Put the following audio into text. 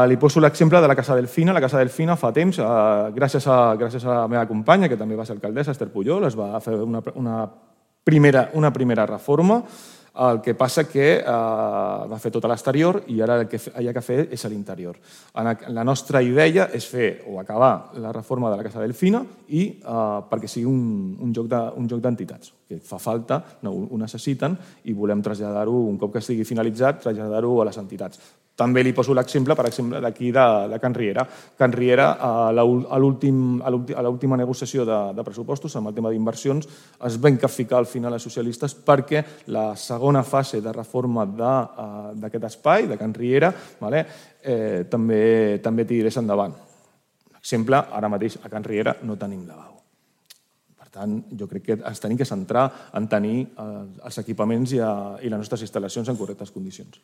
li poso l'exemple de la Casa Delfina. La Casa Delfina fa temps, gràcies a la meva companya, que també va ser alcaldessa, Esther Pujol, es va fer una primera reforma. El que passa que va fer tot a l'exterior i ara el que hi ha que fer és a l'interior. La nostra idea és fer o acabar la reforma de la Casa Delfina i perquè sigui un joc d'entitats, que fa falta, ho necessiten i volem traslladar-ho, un cop que estigui finalitzat, traslladar-ho a les entitats. També li poso l'exemple, per exemple, d'aquí de Can Riera. Can Riera, a l'última negociació de pressupostos, amb el tema d'inversions, es va encaficar al final els socialistes perquè la segona fase de reforma d'aquest espai, de Can Riera, també tirés endavant. Exemple, ara mateix a Can Riera no tenim lavabo. Per tant, jo crec que ens hem de centrar en tenir els equipaments i les nostres instal·lacions en correctes condicions.